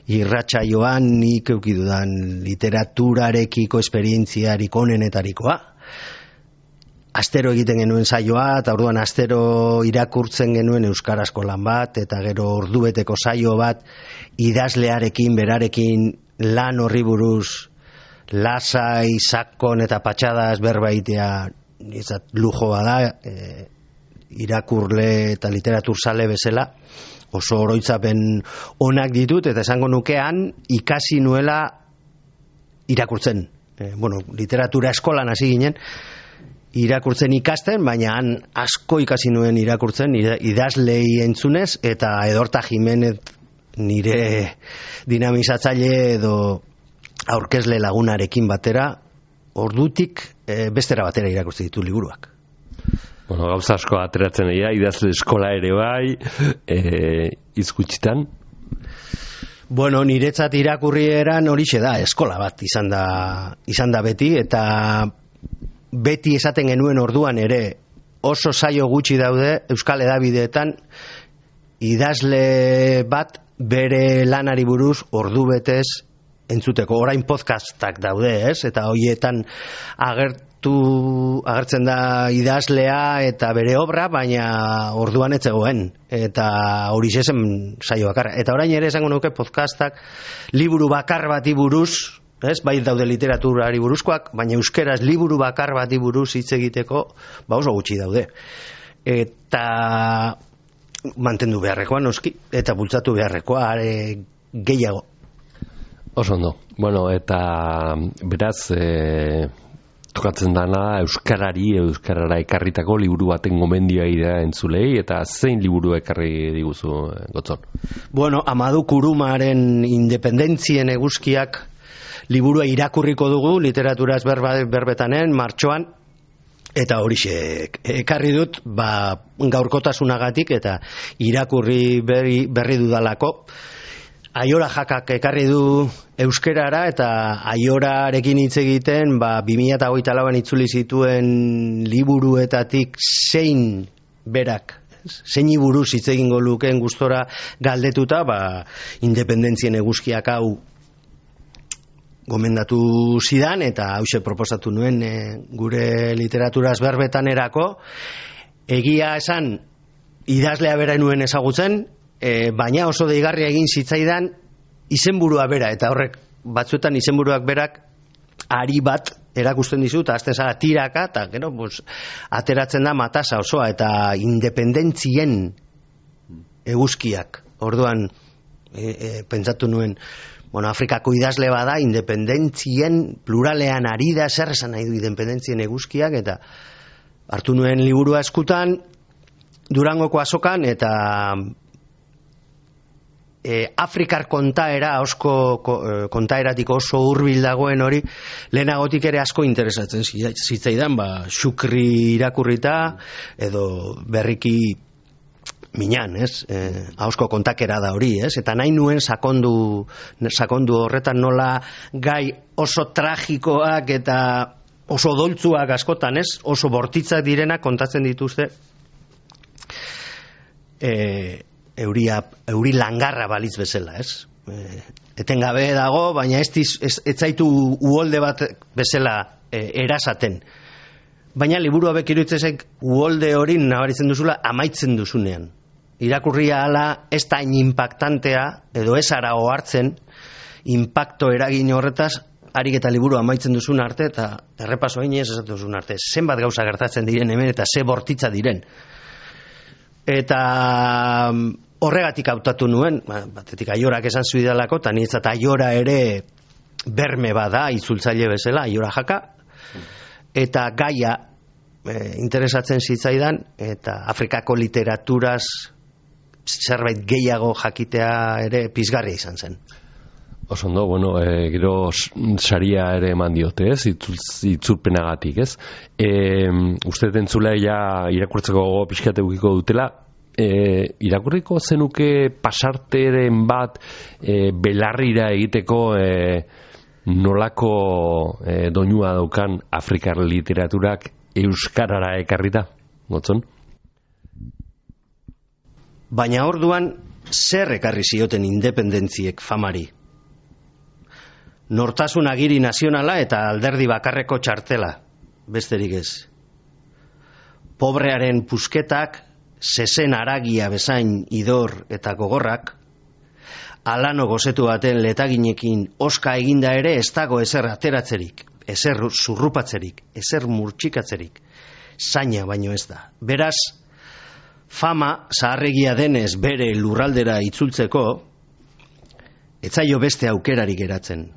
irratsaioan nik eukidudan literaturarekiko esperientziarik onenetarikoa. Astero egiten genuen saioa, eta orduan astero irakurtzen genuen euskarazko lan bat, eta gero ordubeteko saio bat idazlearekin, berarekin lan horri buruz lasai, sakon eta patxadas berbaitea lujoa da, irakurle eta literaturzale bezala, oso oroitzapen onak ditut, eta esango nukean ikasi nuela irakurtzen. Literatura eskolan hasi ginen, irakurtzen ikasten, baina han asko ikasi nuen irakurtzen idazlei entzunez, eta Edorta Jimenez nire dinamizatzaile edo aurkezle lagunarekin batera, ordutik bestera batera irakurtzen ditu liburuak. Gauza asko ateratzen dira, idazle eskola ere bai, izkutsitan? Niretzat irakurrieran horixe da, eskola bat izan da beti, eta beti esaten genuen orduan ere oso saio gutxi daude Euskal Hedabideetan idazle bat bere lanari buruz ordu betez entzuteko. Orain podcastak daude, ez? Eta hoietan agertzen da idazlea eta bere obra, baina orduan ez zegoen. Eta hori zen saio bakarra. Eta orain ere esango nuke podcastak liburu bakar bati buruz, ez? Bai daude literaturari buruzkoak, baina euskeraz liburu bakar bati buruz hitz egiteko oso gutxi daude. Eta mantendu beharrekoa noski, eta bultzatu beharrekoa gehiago. Oso ondo. Bueno, eta beraz, tokatzen dana euskarara ekarritako liburu baten gomendioa idea entzulei, eta zein liburu ekarri diguzu, Gotzon? Bueno, Amadou Kurumaren Independentzien eguzkiak liburua irakurriko dugu, literaturaz berbetanen, martxoan, eta horixe ekarri dut, gaurkotasunagatik eta irakurri berri dudalako. Aiora Jakak ekarri du euskerara, eta Aiorarekin hitz egiten 2024an itzuli zituen liburuetatik zein buruz hitz egingo lukeen gustora galdetuta, Independentzien eguzkiak hau gomendatu zidan, eta hause proposatu nuen gure literaturaz berbetanerako. Egia esan idazlea bera nuen ezagutzen, baina oso deigarria egin zitzaidan izenburua bera, eta horrek batzuetan izenburuak berak ari bat erakusten dizu, eta azten zara tiraka, eta gero ateratzen da matasa osoa, eta Independentzien eguzkiak. Orduan pentsatu nuen, Afrikako idazle bada, Independentzien pluralean ari da, zer esan nahi du Independentzien eguzkiak, eta hartu nuen liburua eskutan, Durangoko azokan, eta Afrikar kontaera, kontaeratik oso hurbil dagoen hori, lehenagotik ere asko interesatzen zitzaidan, xukri irakurrita, edo berriki minan, ez? Ahozko kontakera da hori, ez? Eta nahi nuen sakondu horretan nola gai oso tragikoak eta oso doltzuak askotan, ez? Oso bortitzak direnak kontatzen dituzte euri langarra balitz bezala, ez? Etengabe dago, baina ez zaitu uholde bat bezala erasaten. Baina liburu hauek iruditzezek uholde hori nabaritzen duzula amaitzen duzunean. Irakurria ala ez da impactantea, edo ez ara ohartzen, impacto eragin horretaz, harik eta liburu amaitzen duzun arte, eta errepaso hainez esatu duzun arte. Zenbat gauza gertatzen diren hemen, eta ze bortitza diren. Eta horregatik hautatu nuen, batetik Aiorak esan zuidalako, eta niretzat Aiora ere berme bada, itzultzaile bezala, Aiora Jaka, eta gaia interesatzen zitzaidan, eta Afrikako literaturaz zerbait gehiago jakitea ere pizgarria izan zen. Oso ondo, gero saria ere eman diote, ez? Itzulpenagatik, ez? Uste entzulea ja irakurtzeko gogo pixkat edukiko dutela, irakurriko zenuke pasarteren bat belarrira egiteko nolako doinua daukan Afrikar literaturak euskarara ekarrita, Gotzon? Baina orduan zer ekarri zioten independentziek famari? Nortasun agiri nazionala eta alderdi bakarreko txartela, besterik ez. Pobrearen pusketak, zezen aragia bezain idor eta gogorrak, alano gozetu baten letaginekin oska eginda ere ez dago ezer ateratzerik, ezer zurrupatzerik, ezer murtxikatzerik, zaina baino ez da. Beraz, fama zaharregia denez bere lurraldera itzultzeko, etzaio beste aukerarik geratzen.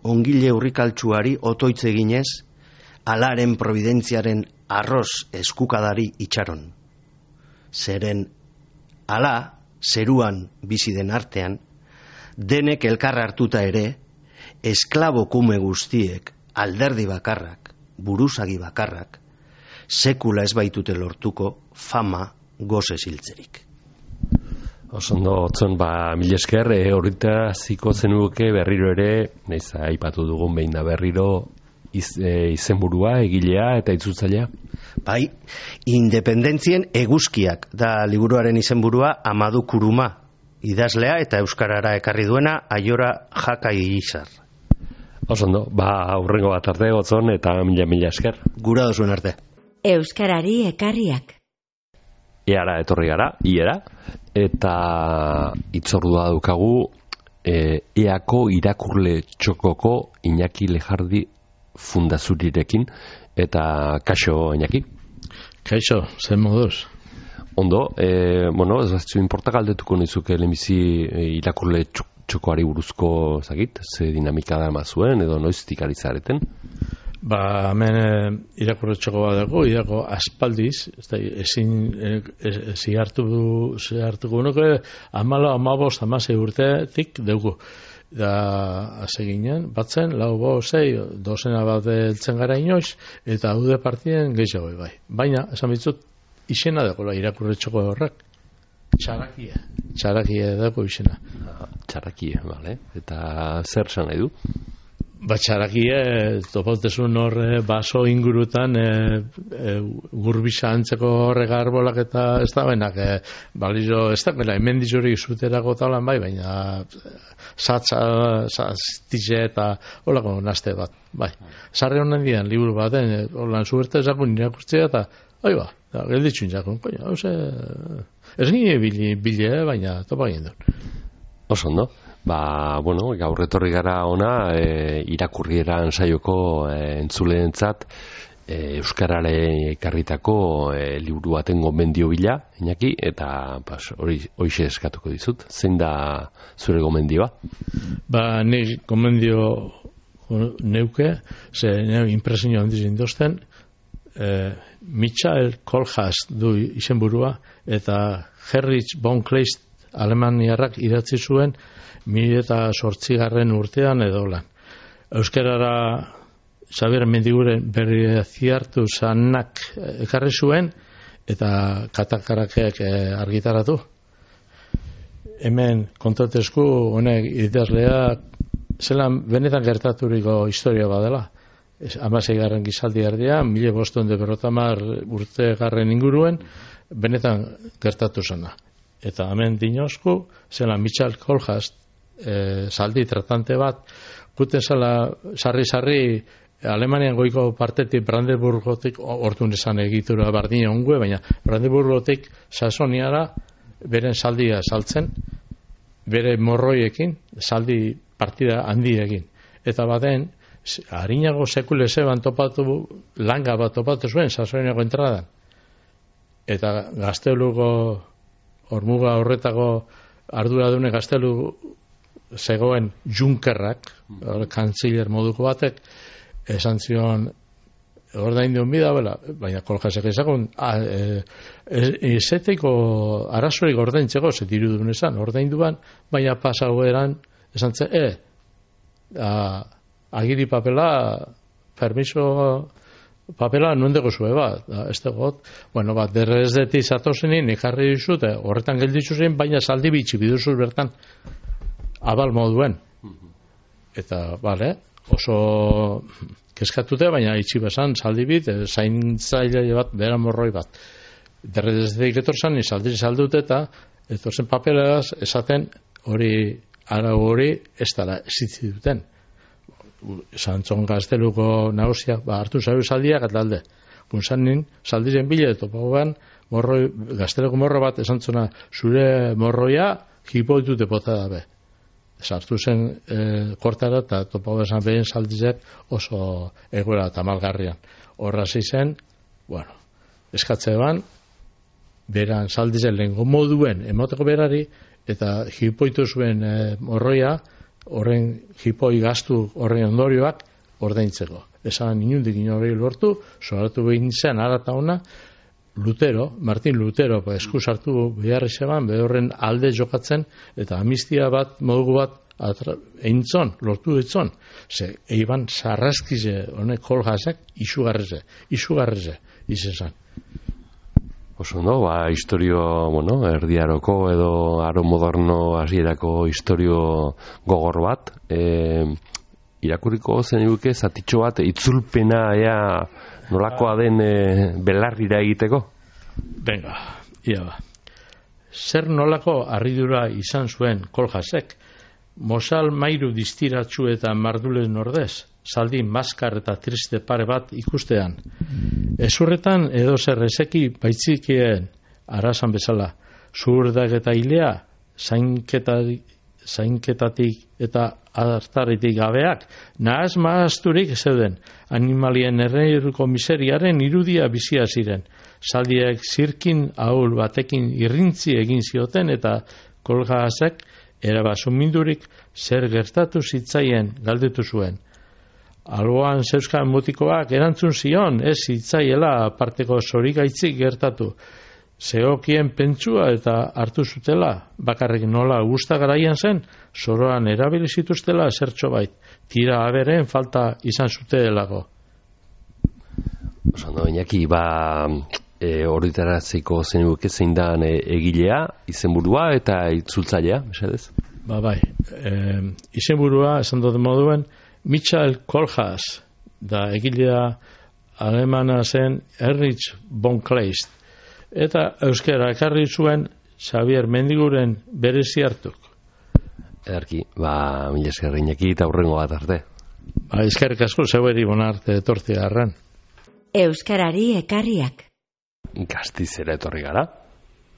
Ongile urrikaltsuari otoitz eginez, alaren providentziaren arroz eskukadari itxaron. Zeren, ala, zeruan bizi den artean, denek elkarra hartuta ere, esklabo kume guztiek, alderdi bakarrak, buruzagi bakarrak, sekula ez baitute lortuko fama goze ziltzerik. Osondo, Gotzon, mila esker, horita ziko zenuke berriro ere, naiz aipatu dugun behin da berriro, izenburua, egilea eta itzultzailea? Bai, Independentzien eguzkiak da liburuaren izenburua. Amadu Kuruma idazlea eta euskarara ekarri duena Aiora Jakai Izar. Osondo, aurrengo bat arte gotzon eta mila esker. Gura dozuen arte. Euskarari ekarriak. Iara etorri gara, eta itzordua daukagu EAko irakurle txokoko Iñaki Lejardi fundazurirekin, eta kaixo Iñaki? Kaixo, zen moduz? Ondo, ez batzu inporta galdetuko nizuke lehenbizi irakurle txokoari buruzko ze dinamika da mazuen edo noiztik ari zareten? Hemen irakurle txoko bat dago, irako aspaldiz, ezin zihartuko nuke, 15 urtetik dugu. Da, hase ginen, batzen, 4-5, dozena bat eltzen gara inoiz, eta haude partien gehiago bai. Baina, esan bitzut, izena dago irakurle txoko horrek. Txarakie dago izena. Txarakie, bale. Eta zer esan nahi du? Txarakie, topautezun horre baso ingurutan gurbisa antzeko horrek arbolak eta ez da benak balizo, ez da bela, hemen dizurik zuterako talan bai, baina zaztize eta holako nazte bat, bai. Sarri honen dian, liburu baten, holan zuerte ezakun irakurtzea eta, gelditxun jakun, ez nire bile, baina topa egin duen. Osondo. Gaur etorri gara ona irakurrieran saioko entzuleentzat euskarare ekarritako liburu baten gomendio bila, Iñaki, eta horixe eskatuko dizut. Zein da zure gomendioa? Nik gomendio neuke, ze impresio handiz indozten, Michael Kohlhaas du izenburua, eta Heinrich von Kleist alemaniarrak idatzi zuen 2008 urtean edo lan. Euskarara Xabier Mendiguren berri ziartu zanak ekarri zuen eta katakarakeak argitaratu. Hemen kontatezku honek idazlea zelan benetan gertaturiko historia badela. 16. gizaldi erdian, 1550 urte garren inguruen, benetan gertatu zena. Eta hemen dinozku, zelan Michael Kohlhaas zaldi tratante bat, guten zela sarri Alemanian goiko partetik Brandenburgotik, orduan esan egitura bardina ongue, baina Brandenburgotik Saxoniara beren saldia saltzen, bere morroiekin, saldi partida handiekin. Eta baten, harinago sekulese ban topatu, langa bat topatu zuen Saxoniako entradan. Eta Gazteluko hormuga horretako arduradune Gaztelu zegoen Junkerrak, kantziller moduko batek, esan zion ordaindu bida, baina Kohlhaasek ezagun ezeteko arazorik ordaintzeko, ze dirudun esan, ordainduan, baina pasagoeran esan zen, agiri papela, permiso papela nuendeko zue bat, ez dagoet, derrezdeti zatozenin, ikarri dizute, horretan gelditzu zen, baina saldi bitxi biduzuz bertan, abal moduen. Eta, oso keskatute, baina itxi bezan, saldi bit, zaintzaile bat, bera morroi bat. Derrezdetik etorzan, saldi saldute eta etorzen papelaz, esaten hori, arau hori, ez dara zitzi duten. Santzon Gazteluko nagusiak, hartu zaiu saldiak eta alde. Gunzanin, saldiren bile, topagoan, Gazteluko morro bat, esantzona, zure morroia, hipoitute bota dabe. Sartu zen kortara eta topago esan behin saldizek oso egoera eta malgarrian. Horra zen, eskatze ban, beran saldizen lehenko moduen emoteko berari eta hipoitu zuen morroia, horren hipoi gaztu horren ondorioak ordaintzeko. Esan inundik hori lortu, soratu behin zen arata ona, Martin Lutero esku sartu beharri zeban, behorren alde jokatzen, eta amnistia bat, modugu bat, eintzon, lortu ditzon. Ze, eiban sarraskize, honek Kohlhaasek, isugarreze, izan. Oso, historio, erdiaroko edo aro moderno hasierako historio gogor bat, irakurriko zeniguke zatitxo bat itzulpena nolakoa den belarrira egiteko? Venga, ia ba. Zer nolako harridura izan zuen Koljasek, mozal mairu distiratsu eta mardulen ordez, zaldi maskar eta triste pare bat ikustean. Ezurretan edo zer ezeki baitzikien arasan bezala, zuhurdak eta hilea, zainketatik eta adartaritik gabeak, nahaz maazturik zeuden, animalien erreiruko miseriaren irudia bizia ziren. Zaldiek zirkin ahul batekin irrintzi egin zioten eta Koljasek erabazumindurik zer gertatu zitzaien galdetu zuen. Alboan zeuzkan mutikoak erantzun zion, ez zitzaiela aparteko zorigaitzik gertatu. Zeokien pentsua eta hartu zutela, bakarrik nola gustagaraian zen, soroan erabili zituztela zertxo bait, tira aberen falta izan zutelako. Osando, Iñaki, horretaratzeko zenuke zein da egilea, izenburua eta itzultzailea, mesedez? Bai. Izenburua, esan dut moduen, Michael Koljaz, da egilea alemana zen Erich von Kleist. Eta euskara ekarri zuen Xavier Mendiguren berezi hartuk. Ederki, mila esker Iñaki eta hurrengo bat arte. Eskerrik asko zeueri bonarte etortzea arren. Euskarari ekarriak. Gastizera etorri gara,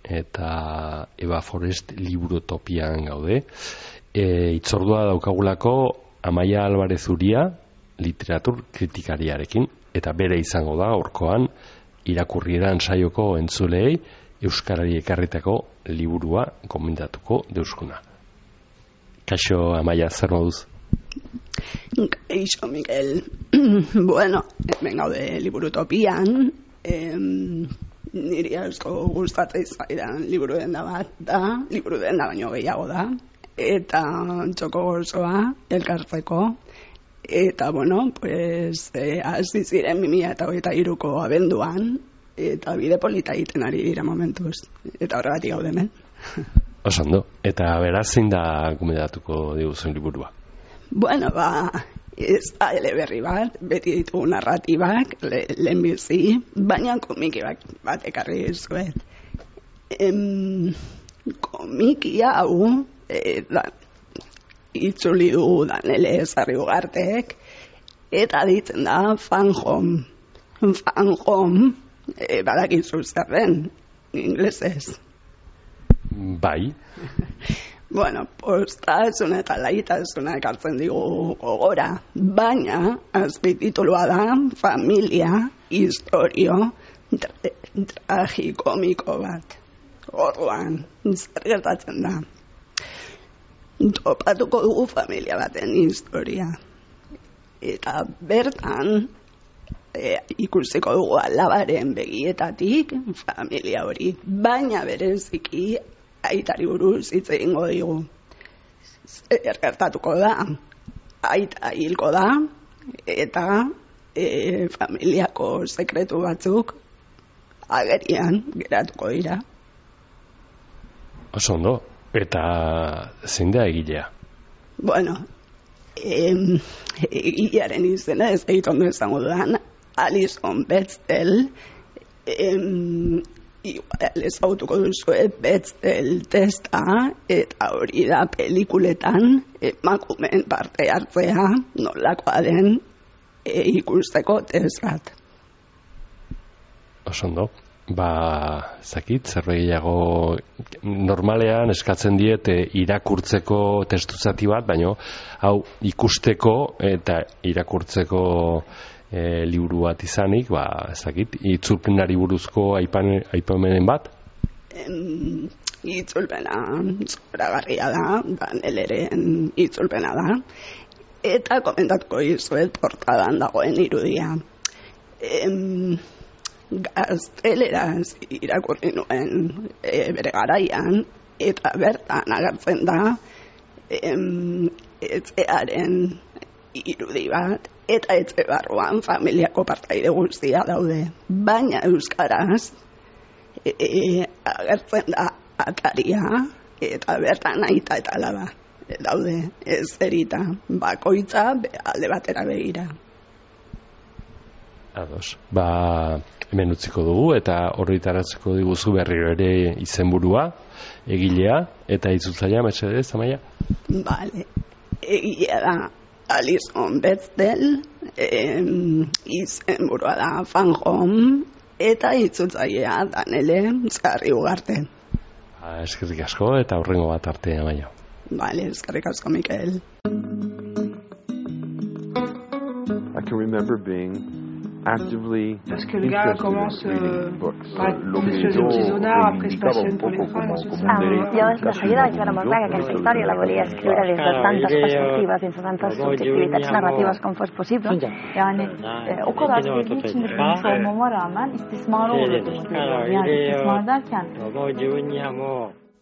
eta Eva Forest liburutopian gaude. Itzordua daukagulako Amaia Alvarez Uria literatur kritikariarekin, eta bere izango da horkoan irakurrieran saioko entzulei euskarari ekarritako liburua gomendatuko deuskuna. Kaixo, Amaia, zer moduz? Kaixo, Miguel. Bueno, hemen gaude liburutopian, niri asko gustatzen zaidan liburu denda bat da, liburu denda baino gehiago da, eta txoko gozoa elkartzeko, eta bueno, pues hasi ziren 2023ko abenduan, eta bide polita egiten ari dira momentuz, eta horregatik gaude hemen. Osando, eta beraz zein da gomendatuko diguzuen liburua? Bueno, ez da eleberri bat, beti ditugu narratibak, lehenbizi, baina komiki bat ekarri dizuet. Komiki hau, itzuli du Danele Sarriugartek, eta ditzen da Fan Home. Fan Home, badakizu zer den, inglesez. Bai. Bueno, postasuna eta laitasuna ekartzen digu gogora, baina azpititulua da familia, historio, tragikomiko bat. Orduan, zer gertatzen da. Topatuko dugu familia baten historia. Eta bertan, ikusiko dugu alabaren begietatik familia hori, baina bereziki aitari buruz hitz egingo digu. Zer gertatuko da? Aita hilko da, eta familiako sekretu batzuk agerian geratuko dira. Oso ondo, eta zein da egilea? Bueno, egilearen izena ez egit ondo izango dudan, Alison Bechdel, igual ezautuko duzue Bechdel testa, eta hori da pelikuletan emakumeen parte hartzea nolakoa den ikusteko test bat. Oso ondo. Zakit, zerbaiago normalean eskatzen diet irakurtzeko testuzati bat, baina hau ikusteko eta irakurtzeko liburu bat izanik, zakit, itzulpenari buruzko aipamenen bat? Itzulpena zoragarria da, Daneleren itzulpena da, eta komentatuko izuet portadan dagoen irudia. Gazteleraz irakurri nuen bere garaian, eta bertan agertzen da etxearen irudi bat, eta etxe barruan familiako partaide guztia daude. Baina euskaraz agertzen da ataria, eta bertan aita eta alaba. daude, ez erita, bakoitza alde batera begira. Ados, hemen utziko dugu eta horretaratzeko diguzu berriro ere izenburua, egilea eta itzultzailea, mesedez, Amaia? Bale, egilea da Alison Bechdel, izenburua da Fanjom, eta itzultzailea Danele Zarri-Ugarte. Eskerrik asko eta hurrengo bat arte, Amaia. Bale, eskerrik asko, Mikel. I can remember being actively parce que le gars commence par être professeur d'artisanat, après se passionne pour les femmes. Yo de seguida vaig veure molt clar que aquesta història la volia escriure des de tantes perspectives, dins de tantes subjectivitats narratives com fos possible. Yani o kadar sevdiği için de bilmiş olmama rağmen istismara uğradım. Yani istismar derken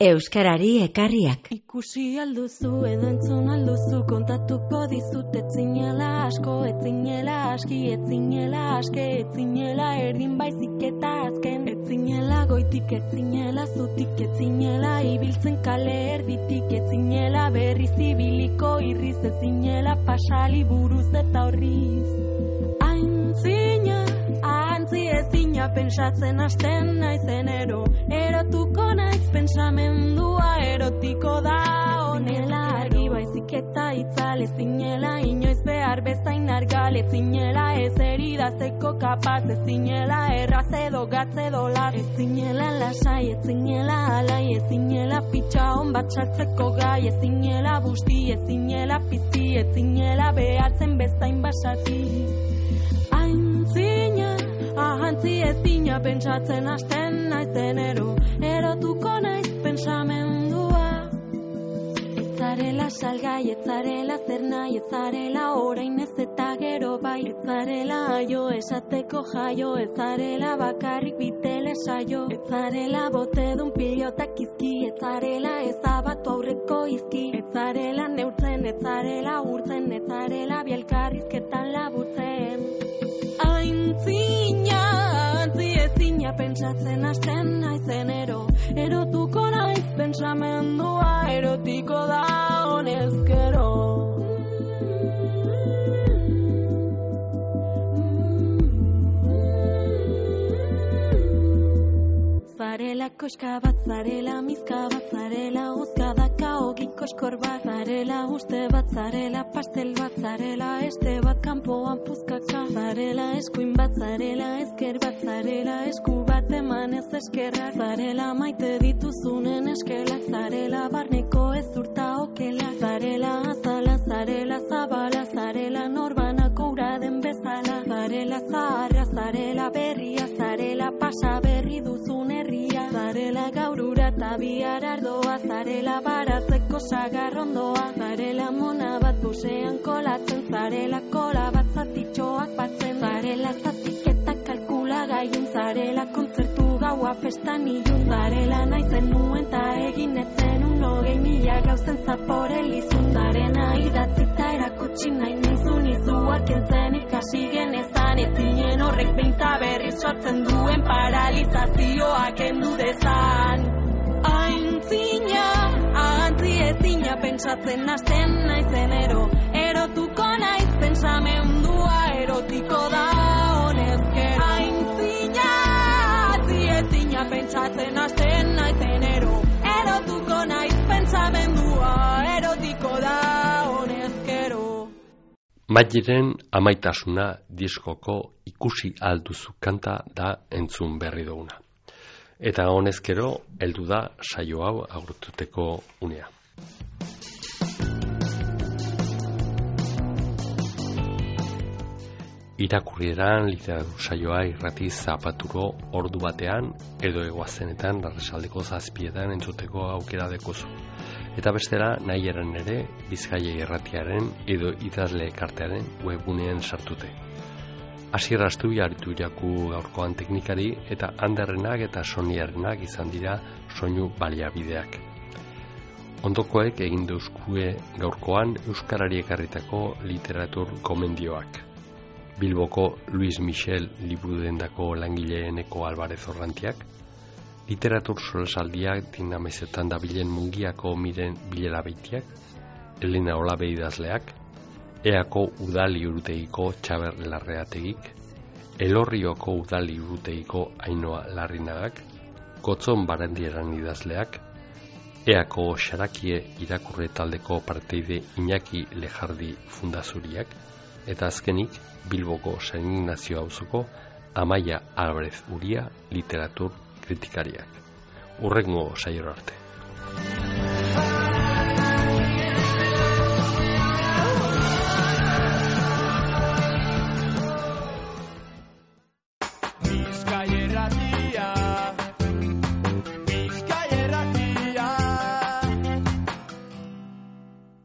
Euskarari ekarriak. Ikusi alduzu edo entzun alduzu kontatuko dizut etzinela asko, etzinela aski, etzinela aske, etzinela erdin baizik eta azken, etzinela goitik, etzinela zutik, etzinela ibiltzen kale erditik, etzinela berriz ibiliko irriz, etzinela pasali buruz eta horriz. Aintzina, ahantzi ezina pentsatzen hasten naizen erotuko naiz pentsamendua erotiko da honela argi baizik eta itzal ezinela inoiz behar bezain argal ezinela ez eridazeko kapaz ezinela erraz edo gatz edo lat ezinela lasai ezinela alai ezinela pitxa hon bat sartzeko gai ezinela busti ezinela pizti ezinela behatzen bezain basati aintzina ahantzi ezina pentsatzen hasten naizen erotuko naiz pentsamendua etzarela salgai, etzarela zer nahi, etzarela orain ez eta gero bai etzarela aio esateko jaio etzarela bakarrik bitele saio etzarela botedun pilotak izki etzarela ezabatu aurreko izki etzarela neurtzen, etzarela urtzen etzarela bielkarrizketan laburtzen aintzina antzi ezina pentsatzen hasten naizen erotuko naiz pentsamendua erotiko da honezkero zarela koska bat, zarela mizka bat, zarela guzkadaka ogikoskor bat, zarela uste bat, zarela pastel bat, zarela este bat, kanpoan puzkaka, zarela eskuin bat, zarela ezker bat, zarela esku bat eman ez eskerra, zarela maite dituzunen eskelak, zarela barneko ez urta okela, zarela azala, zarela zabala, zarela norbanako ura den bezala, zarela zaharra, zarela berria, zarela pasa berri duzun herria, zarela gaurura eta bihar ardoa, zarela baratzeko sagarrondoa, zarela mona bat busean kolatzen, zarela kola bat zatitxoak batzen, zarela zatiketa kalkula gaiun, zarela kontzertu gaua festan ilun, zarela naizen nuen ta egin etzen 20.000 gauzen zaporelizun, zarena idatzita erakutsi nahi nizun izuak entzen ikasi genezan, etzinen horrek behinta berriz sortzen duen paralizazioa kendu dezan. Aintzina, ahantzi ezina pentsatzen hasten naizen erotuko naiz pentsamendua erotiko da honezkero. Aintzina, ahantzi ezina pentsatzen hasten naizen erotuko naiz pentsamendua erotiko da honezkero. Maieren amaitasuna diskoko ikusi alduzu kanta da entzun berri duguna. Eta honezkero heldu da saio hau agurtuteko unea. Irakurrieran literatur saioa irrati zapaturo ordu batean edo egoazenetan arratsaldeko 7etan entzuteko aukera dekozu. Eta bestela nahi eran ere Bizkaia irratiaren edo idazle elkartearen webgunean sartute. Asier Astu jaritu iraku gaurkoan teknikari eta Anderrenak eta Soniarenak izan dira soinu baliabideak. Ondokoek egin deuskue gaurkoan euskarari ekarritako literatur gomendioak. Bilboko Luis Michel liburudendako langileeneko Alvarez Orrantiak, literatur solasaldiak dinamezetan dabilen Mungiako Miren Bilera Beitiak, Elena Olabe idazleak, Eako udali urutegiko Txaber Larreategik, Elorrioko udali urutegiko Ainoa Larrinagak, Gotzon Barandieran idazleak, Eako Xarakie irakurre taldeko parteide Iñaki Lejardi Fundazuriak, eta azkenik Bilboko San Ignazio auzoko Amaia Alvarez Uria literatur kritikariak. Hurrengo saiora arte.